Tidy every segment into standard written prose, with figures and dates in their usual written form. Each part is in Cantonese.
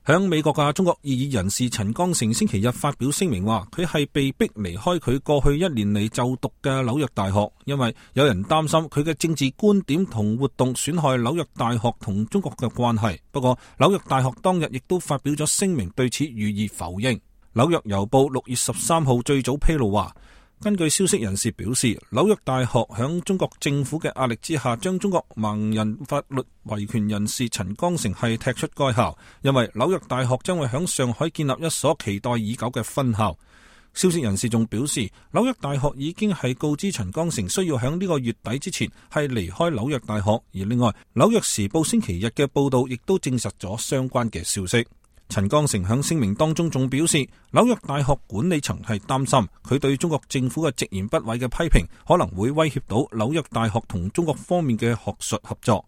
響美國嘅中國異議人士陳剛成星期日發表聲明話，佢係被逼離開佢過去1年嚟就讀嘅紐約大學，因為有人擔心佢嘅政治觀點同活動損害紐約大學同中國嘅關係。不過紐約大學當日亦都發表咗聲明對此予以否認。紐約郵報6月13號最早披露話，根據消息人士表示，紐約大學響中國政府嘅壓力之下，將中國盲人法律維權人士陳剛成係踢出該校，因為紐約大學將會響上海建立一所期待已久嘅分校。消息人士仲表示，紐約大學已經係告知陳剛成需要響呢個月底之前係離開紐約大學，而另外紐約時報星期日嘅報道亦都證實咗相關嘅消息。陳剛成響聲明當中仲表示，紐約大學管理層係擔心佢對中國政府嘅直言不諱嘅批評可能會威脅到紐約大學同中國方面嘅學術合作。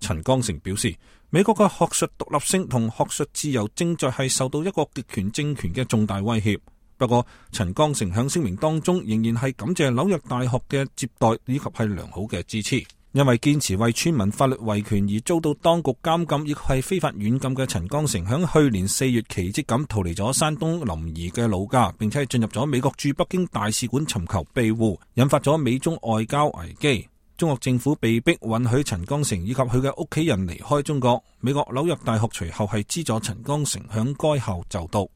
陳剛成表示，美國嘅學術獨立性同學術自由正在係受到一個極權政權嘅重大威脅。不過陳剛成響聲明當中仍然係感謝紐約大學嘅接待以及係良好嘅支持。因為堅持為村民法律維權而遭到當局監禁，亦係非法軟禁嘅陳剛成，響去年4月奇蹟咁逃離咗山東臨沂嘅老家，並且係進入咗美國駐北京大使館尋求庇護，引發咗美中外交危機。中國政府被迫允許陳剛成以及佢嘅屋企人離開中國。美國紐約大學隨後係資助陳剛成響該校就讀。